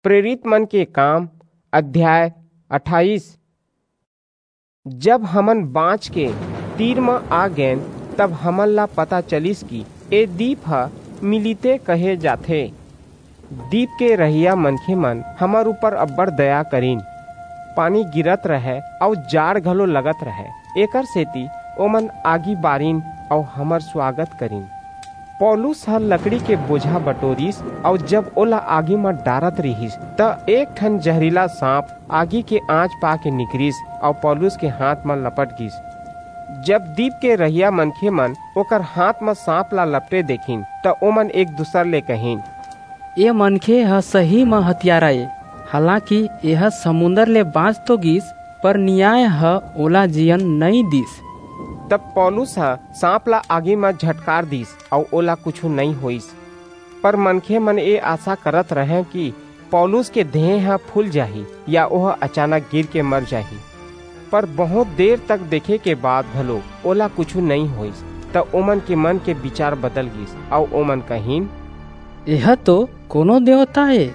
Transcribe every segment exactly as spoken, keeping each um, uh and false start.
प्रेरित मन के काम, अध्याय अट्ठाईस। जब हमन बाँच के तीर म आ गेन, तब हमन ला पता चलिस कि ए दीप ह मिलिते कहे जाथे। दीप के रहइया मनखे मन हमर ऊपर अब्बड़ दया करिन। पानी गिरत रहय अऊ जाड़ घलो लगत रहय, एकर सेती ओमन आगी बारिन अऊ हमर स्वागत करिन। पौलुस ह लकड़ी के बोझा बटोरिस अऊ जब ओला आगी म डारत रिहिस, त एक ठन जहरीला सांप आगी के आंच पा के निकरिस अऊ पौलुस के हाथ म लपट गिस। जब दीप के रहइया मनखे मन ओकर हाथ म सांप ला लपटे देखिन, त ओमन एक दूसर ले कहिन, "ए मनखे ह सही म हतियारा ए, हालांकि एह समुंदर ले बांच तो गिस, पर नियाय ह ओला जीयन नइं दिस।" तब पौलुस ह सांप ला आगी म झटकार दिस, अऊ ओला कुछू नइं होईस। पर मनखे मन ए आसा करत रहंय कि पौलुस के देह ह फूल जाही या ओह अचानक गिर के मर जाही। पर बहुंत देर तक देखे के बाद घलो ओला कुछू नइं होईस। त ओमन के मन के बिचार बदल गिस, अऊ ओमन कहिन, "एह तो कोनो देवता ए।"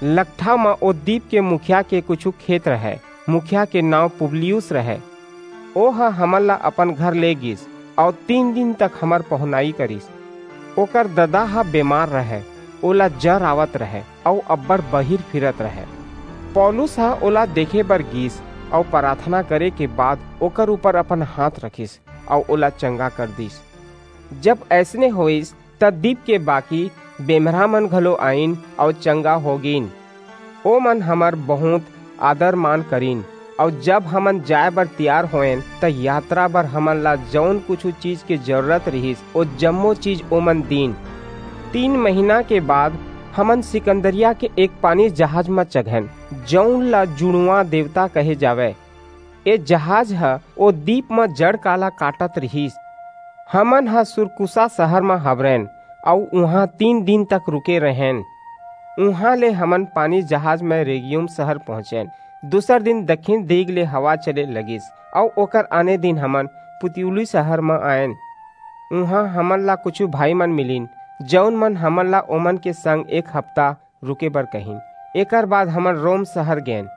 लकठा म ओ दीप के मुखिया के कुछू खेत रहय। मुखिया के नांव पुबलियुस रहय। ओह हमन ला अपन घर ले गिस, अऊ तीन दिन तक हमर पहुनाई करिस। ओकर ददा ह बेमार रहय, ओला जर आवत रहय, अऊ अब्बड़ बहिर फिरत रहय। पौलुस ह ओला देखे बर गिस, अऊ पराथना करे के बाद ओकर ऊपर अपन हाथ रखिस, अऊ ओला चंगा कर दिस। जब अइसने होईस, त दीप के बाकी बेमरा मन घलो आईन अऊ चंगा हो गीन। ओमन हमर बहुंत आदर मान करिन, अऊ जब हमन जाय बर तियार होएन, त यात्रा बर हमन ला जऊन कुछू चीज के जरूरत रिहिस, ओ जम्मो चीज ओमन दीन। तीन महीना के बाद हमन सिकंदरिया के एक पानी जहाज म चघेन, जऊन ला जुड़वा देवता कहे जावय। ए जहाज ह ओ दीप म जड़ काला काटत रिहिस। हमन ह सुरकुसा सहर म हबरेन, अऊ उहां तीन दिन तक रुके रहेन। उहां ले हमन पानी जहाज म रेगियुम सहर पहुंचेन। दूसर दिन दक्षिण दिग ले हवा चले लगिस, अऊ ओकर आने दिन हमन पुतियुली सहर म आएन। उहां हमन ला कुछू भाई मन मिलिन, जऊन मन हमन ला ओमन के संग एक हफ्ता रुके बर कहिन। एकर बाद हमन रोम सहर गेन।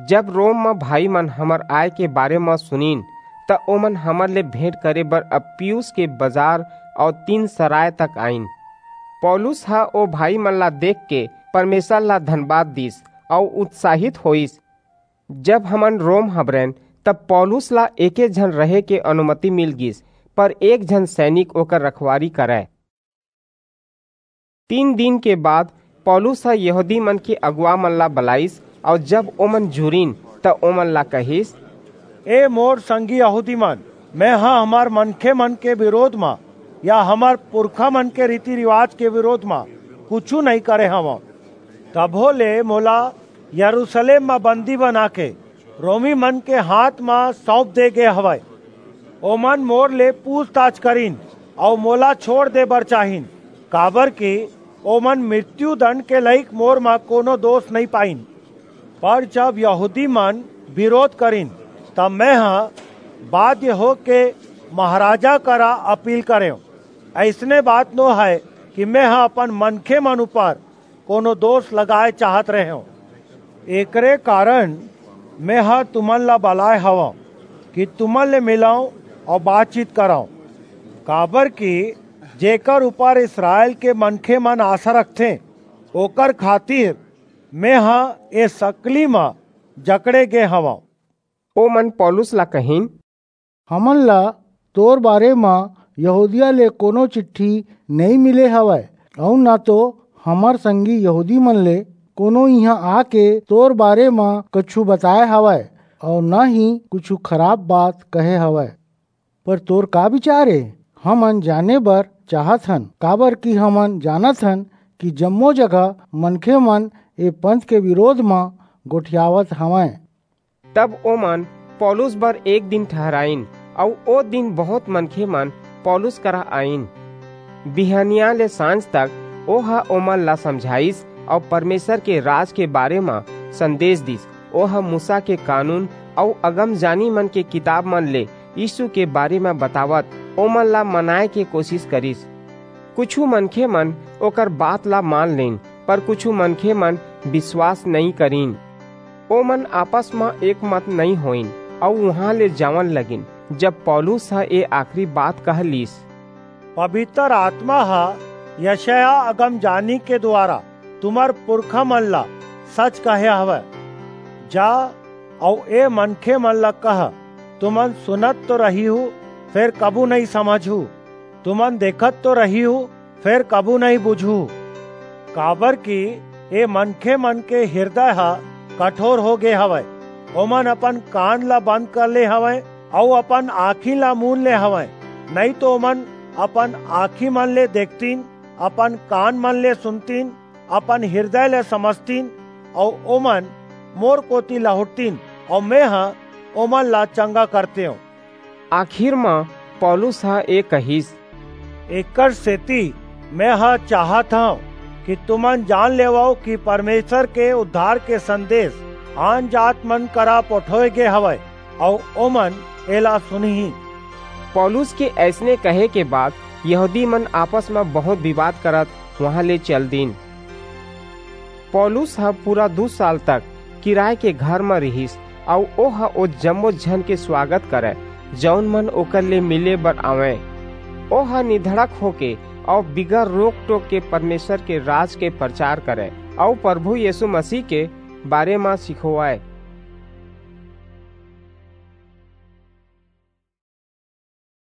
जब रोम म भाई मन हमर आय के बारे म सुनिन, त ओमन हमर ले भेंट करे बर अप्पियुस के बजार अऊ तीन सराय तक आईन। पौलुस ह ओ भाई मन ला देख के परमेसर ला धनबाद दिस अऊ उत्साहित होईस। जब हमन रोम हबरेन, तब पौलुस ला एके झन रहे के अनुमति मिल गिस, पर एक झन सैनिक ओकर रखवारी करय। तीन दिन के बाद पौलुस ह यहूदी मन के अगुवा मन ला बलाईस, अऊ जब ओमन जुरिन, त ओमन ला कहिस, "ए मोर संगी यहूदी मन, मेंह हमर मनखे मन के बिरोध म या हमर पुरखा मन के रीति-रिवाज के बिरोध म कुछू नइं करे हवंव। तभो ले मोला यरूसलेम म बंदी बनाके रोमी मन के हांथ म सऊंप दे गे हवय। ओमन मोर ले पूछताछ करिन अऊ मोला छोंड़ दे बर चाहिन, काबरकि ओमन मृत्युदंड के लइक मोर म कोनो दोस नइं पाईन। पर जब यहूदी मन बिरोध करिन, तब मेंह बाध्य होके महाराजा करा अपील करेंव। अइसने बात नो हय कि मेंह अपन मनखे मन ऊपर कोनो दोस लगाय चाहत रहेंव। एकरे कारन मेंह तुमन ला बलाय हवंव कि तुमन ले मिलंव अऊ बातचीत करंव, काबरकि जेकर ऊपर इसरायल के मनखे मन आसा रखथें, ओकर खातिर मेंह ए सकली म जकड़े गे हवंव।" ओमन पौलुस ला कहिन, "हमन ला तोर बारे म यहूदिया ले कोनो चिट्ठी नइं मिले हवय, अऊ न तो हमर संगी यहूदी मन ले कोनो इहां आके तोर बारे म कुछू बताय हवय, अऊ न ही कुछू खराप बात कहे हवय। पर तोर का बिचार ए? हमन जाने बर चाहत हन, काबरकि हमन जानत हन कि जम्मो जगह मनखे मन ए पंथ के बिरोध म गोठियावत हवंय।" तब ओमन पौलुस बर एक दिन ठहराईन, अऊ ओ दिन बहुंत मनखे मन पौलुस करा आईन। बिहनिया ले सांझ तक ओह ओमन ला समझाईस अऊ परमेसर के राज के बारे म संदेस दीस। ओह मूसा के कानून अऊ अगमजानी मन के किताब मन ले यीसू के बारे म बतावत ओमन ला मनाय के कोसिस करिस। कुछू मनखे मन ओकर बात ला मान लीन, पर कुछू मनखे मन विश्वास नइं करिन। ओमन आपस म एक मत नइं होइन अऊ उहां ले जावन लगिन। जब पौलुस ह ए आखिरी बात कह लीस, "पबितर आतमा ह यशया अगमजानी के दुवारा तुम्हर पुरखामन ला सच कहे हवय, जा अऊ ए मनखेमन ला कह, तुमन सुनत तो रहिहू, फेर कभू नइं समझहू, तुमन देखत तो रहिहू, फेर कभू नइं बुझहू। काबरकि ए मनखेमन के हिरदय ह कठोर हो गे हवय, ओमन अपन कान ला बंद कर ले हवंय अऊ अपन आंखी ला मूंद ले हवंय, नइं तो ओमन अपन आंखीमन ले देखतिन, अपन कानमन ले सुनतिन, अपन हिरदय ले समझतिन, अऊ ओमन मोर कोति लहुटतिन, अऊ मेंह ओमन ला चंगा करतेंव।" आखिर म पौलुस ह ए कहिस, "एकरसेति मेंह चाहत हंव कि तुमन जान लेवव कि परमेसर के उद्धार के संदेस आनजातमन करा पठोय गे हवय, अऊ ओमन एला सुनहीं।" पौलुस के अइसने कहे के बाद यहूदीमन आपस म बहुंत बिवाद करत उहां ले चल दीन। पौलुस ह पूरा दू साल तक किराय के घर म रिहिस, अऊ ओह ओ जम्मो झन के सुवागत करय, जऊन मन ओकर ले मिले बर आवंय। ओह निधड़क होके अऊ बिगर रोक-टोक के परमेसर के राज के परचार करय, अऊ परभू यीसू मसीह के बारे म सिखोवय।